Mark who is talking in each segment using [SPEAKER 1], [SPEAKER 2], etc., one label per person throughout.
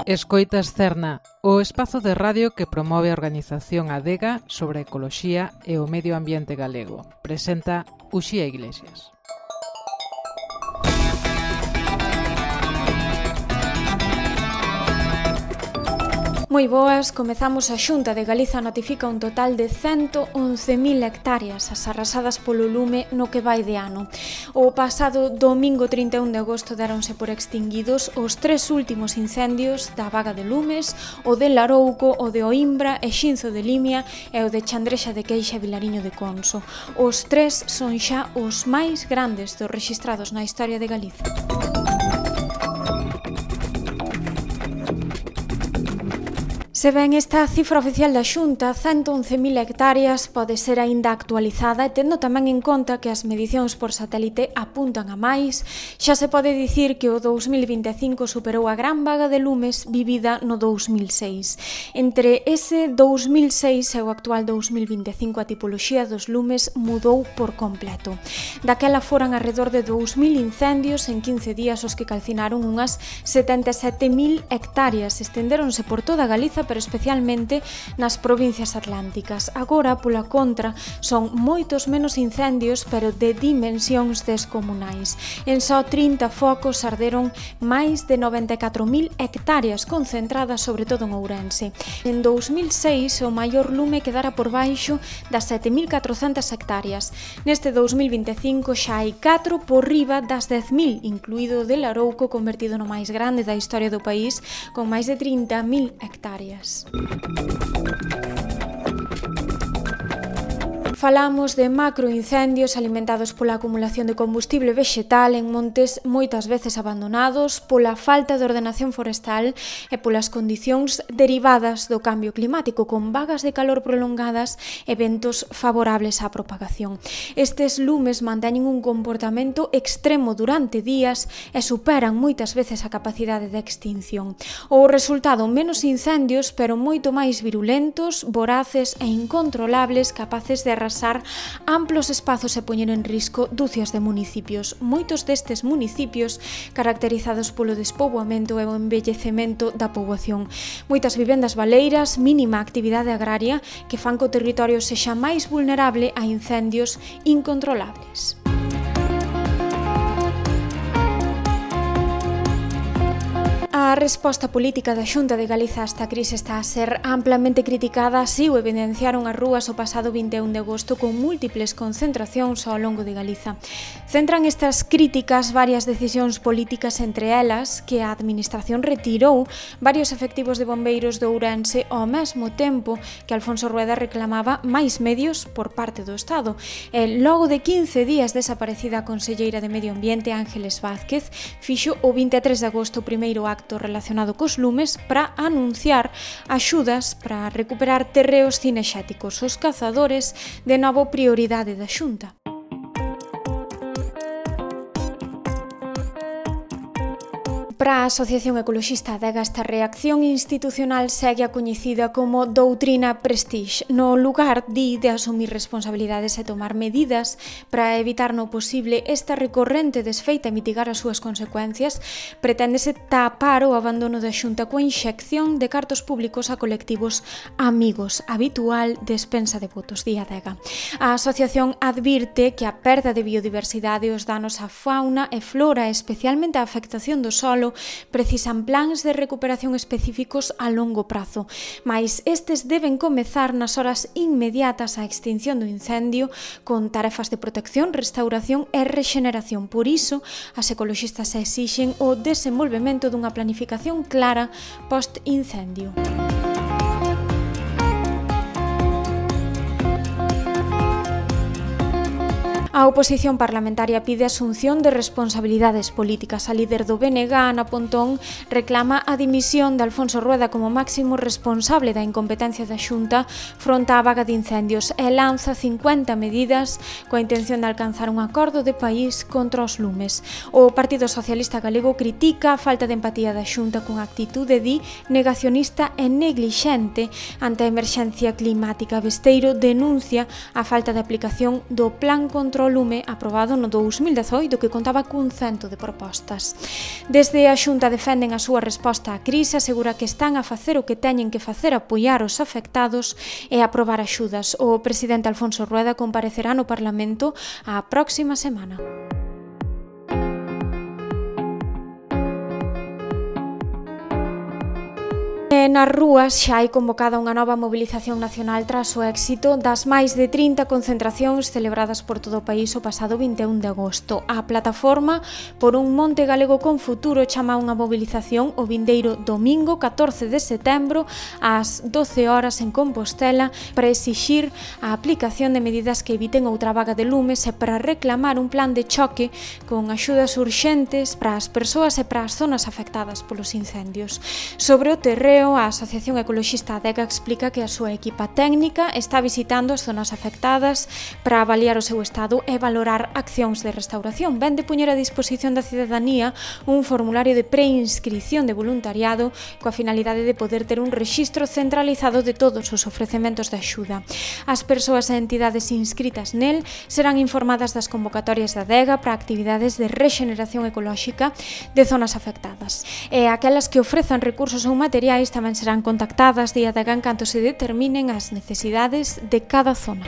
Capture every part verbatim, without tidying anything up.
[SPEAKER 1] Escoitas Cerna, o espazo de radio que promove a organización Adega sobre a ecoloxía e o medio ambiente galego. Presenta Uxía Iglesias.
[SPEAKER 2] Moi boas, comezamos a Xunta de Galiza notifica un total de ciento once mil hectáreas as arrasadas polo lume no que vai de ano. O pasado domingo trinta e un de agosto deronse por extinguidos os tres últimos incendios da Baga de Lumes, o de Larouco, o de Oimbra e Xinzo de Limia e o de Chandrexa de Queixa e Vilariño de Conso. Os tres son xa os máis grandes dos rexistrados na historia de Galiza. Se ben esta cifra oficial da Xunta, ciento once mil hectáreas, pode ser aínda actualizada e tendo tamén en conta que as medicións por satélite apuntan a máis, xa se pode dicir que o dous mil vinte e cinco superou a gran vaga de lumes vivida no dous mil seis. Entre ese dous mil seis e o actual dous mil vinte e cinco a tipoloxía dos lumes mudou por completo. Daquela foran arredor de dous mil incendios en quince días os que calcinaron unhas setenta e sete mil hectáreas, estendéronse por toda Galiza, pero especialmente nas provincias atlánticas. Agora, pola contra, son moitos menos incendios, pero de dimensións descomunais. En só trinta focos arderon máis de noventa e catro mil hectáreas, concentradas sobre todo en Ourense. En dous mil seis, o maior lume quedara por baixo das sete mil catrocentas hectáreas. Neste dous mil vinte e cinco xa hai catro por riba das dez mil, incluído o de Larouco, convertido no máis grande da historia do país, con máis de trinta mil hectáreas. Falamos de macroincendios alimentados pola acumulación de combustible vexetal en montes moitas veces abandonados, pola falta de ordenación forestal e polas condicións derivadas do cambio climático, con vagas de calor prolongadas e ventos favorables á propagación. Estes lumes manteñen un comportamento extremo durante días e superan moitas veces a capacidade de extinción. O resultado, menos incendios, pero moito máis virulentos, voraces e incontrolables, capaces de arrasar amplos espazos e poñer en risco dúcias de municipios. Moitos destes municipios caracterizados polo despoboamento e o envellecemento da poboación. Moitas vivendas baleiras, mínima actividade agraria que fan que o territorio sexa máis vulnerable a incendios incontrolables. A resposta política da Xunta de Galiza a esta crise está a ser amplamente criticada, así o evidenciaron as rúas o pasado vinte e un de agosto con múltiples concentracións ao longo de Galiza. Centran estas críticas varias decisións políticas, entre elas que a Administración retirou varios efectivos de bombeiros de Ourense ao mesmo tempo que Alfonso Rueda reclamaba máis medios por parte do Estado. E logo de quince días desaparecida a conselleira de Medio Ambiente, Ángeles Vázquez, fixo o vinte e tres de agosto o primeiro acto relacionado cos lumes para anunciar axudas para recuperar terreos cinexéticos. Os cazadores, de novo prioridade da Xunta. Para a Asociación Ecoloxista Adega, esta reacción institucional segue a coñecida como doutrina Prestige. No lugar, di, de asumir responsabilidades e tomar medidas para evitar no posible esta recorrente desfeita e mitigar as súas consecuencias, preténdese tapar o abandono da Xunta coa inxección de cartos públicos a colectivos amigos, habitual despensa de votos, di Adega. A asociación advirte que a perda de biodiversidade, os danos á fauna e flora, especialmente a afectación do solo, precisan plans de recuperación específicos a longo prazo, mais estes deben comezar nas horas inmediatas á extinción do incendio con tarefas de protección, restauración e rexeneración. Por iso, as ecoloxistas exixen o desenvolvemento dunha planificación clara post-incendio. A oposición parlamentaria pide asunción de responsabilidades políticas. A líder do B N G, Ana Pontón, reclama a dimisión de Alfonso Rueda como máximo responsable da incompetencia da Xunta fronte á vaga de incendios e lanza cincuenta medidas coa intención de alcanzar un acordo de país contra os lumes. O Partido Socialista Galego critica a falta de empatía da Xunta con actitude, di, negacionista e neglixente ante a emerxencia climática. Besteiro denuncia a falta de aplicación do Plan contra contra o lume aprobado no dous mil dezoito que contaba cun cento de propostas. Desde a Xunta defenden a súa resposta á crise, asegura que están a facer o que teñen que facer, apoiar os afectados e aprobar axudas. O presidente Alfonso Rueda comparecerá no Parlamento a próxima semana. E nas rúas xa hai convocada unha nova mobilización nacional tras o éxito das máis de trinta concentracións celebradas por todo o país o pasado vinte e un de agosto. A plataforma por un Monte Galego con Futuro chama unha mobilización o vindeiro domingo catorce de setembro ás doce horas en Compostela para exixir a aplicación de medidas que eviten outra vaga de lumes e para reclamar un plan de choque con axudas urxentes para as persoas e para as zonas afectadas polos incendios. Sobre o terreo, a Asociación Ecoloxista Adega explica que a súa equipa técnica está visitando as zonas afectadas para avaliar o seu estado e valorar accións de restauración. Ven de poñer a disposición da cidadanía un formulario de preinscrición de voluntariado coa finalidade de poder ter un rexistro centralizado de todos os ofrecementos de axuda. As persoas e entidades inscritas nel serán informadas das convocatorias da Adega para actividades de rexeneración ecolóxica de zonas afectadas. E aquelas que ofrezan recursos ou materiais tamén serán contactadas de Adega en canto se determinen as necesidades de cada zona.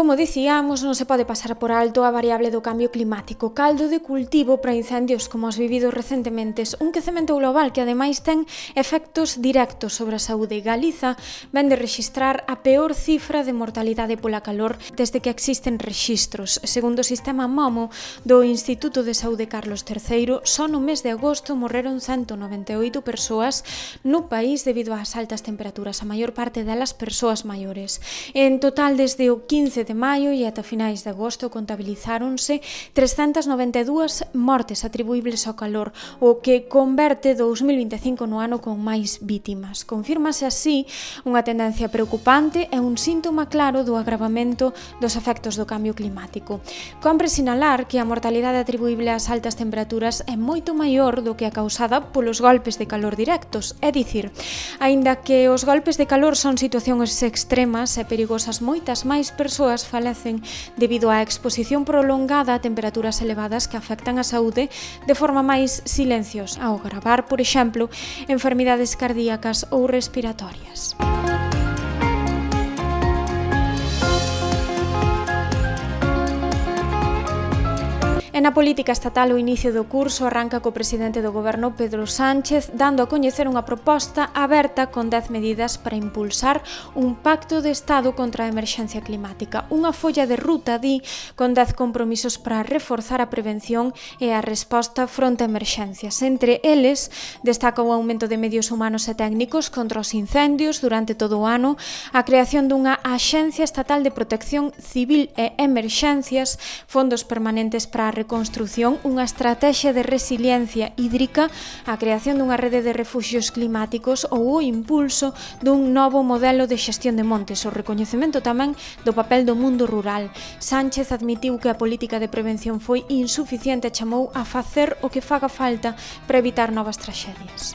[SPEAKER 2] Como dicíamos, non se pode pasar por alto a variable do cambio climático, caldo de cultivo para incendios como os vividos recentemente, un quecemento global que ademais ten efectos directos sobre a saúde. Galiza ven de rexistrar a peor cifra de mortalidade pola calor desde que existen rexistros. Segundo o sistema MOMO do Instituto de Saúde Carlos terceiro, só no mes de agosto morreron ciento noventa e oito persoas no país debido ás altas temperaturas, a maior parte delas persoas maiores. En total, desde o quince de maio e ata finais de agosto contabilizáronse trescentas noventa e dúas mortes atribuíbles ao calor, o que converte dous mil vinte e cinco no ano con máis vítimas. Confírmase así unha tendencia preocupante e un síntoma claro do agravamento dos efectos do cambio climático. Compre sinalar que a mortalidade atribuíble ás altas temperaturas é moito maior do que a causada polos golpes de calor directos, é dicir, aínda que os golpes de calor son situacións extremas e perigosas, moitas máis persoas falecen debido á exposición prolongada a temperaturas elevadas que afectan a saúde de forma máis silenciosa, ao agravar, por exemplo, enfermidades cardíacas ou respiratorias. E na política estatal, o inicio do curso arranca co presidente do Goberno, Pedro Sánchez, dando a coñecer unha proposta aberta con dez medidas para impulsar un pacto de Estado contra a emerxencia climática. Unha folla de ruta, di, con dez compromisos para reforzar a prevención e a resposta fronte a emerxencias. Entre eles, destaca o aumento de medios humanos e técnicos contra os incendios durante todo o ano, a creación dunha Axencia Estatal de Protección Civil e Emerxencias, fondos permanentes para a reconstrución, unha estrategia de resiliencia hídrica, a creación dunha rede de refuxios climáticos ou o impulso dun novo modelo de xestión de montes, o recoñecemento tamén do papel do mundo rural. Sánchez admitiu que a política de prevención foi insuficiente e chamou a facer o que faga falta para evitar novas traxedias.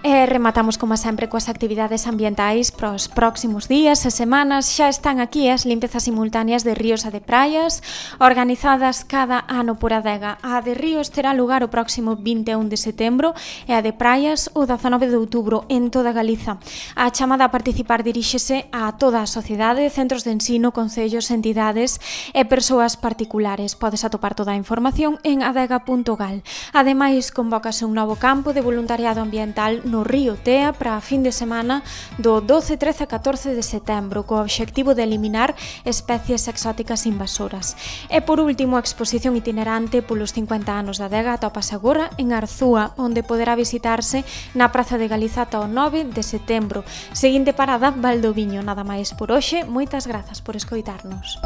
[SPEAKER 2] E rematamos, como sempre, coas actividades ambientais para os próximos días e semanas. Xa están aquí as limpezas simultáneas de ríos e de praias, organizadas cada ano por Adega. A de ríos terá lugar o próximo vinte e un de setembro e a de praias o dezanove de outubro en toda Galiza. A chamada a participar diríxese a toda a sociedade, centros de ensino, concellos, entidades e persoas particulares. Podes atopar toda a información en adega punto gal. Ademais, convócase un novo campo de voluntariado ambiental no Río Tea para a fin de semana do doce, trece e catorce de setembro, co obxectivo de eliminar especies exóticas invasoras. E por último, a exposición itinerante polos cincuenta anos da Adega atopase agora en Arzúa, onde poderá visitarse na Praza de Galiza ata o nove de setembro. Seguinte parada, Valdoviño. Nada máis por hoxe, moitas grazas por escoitarnos.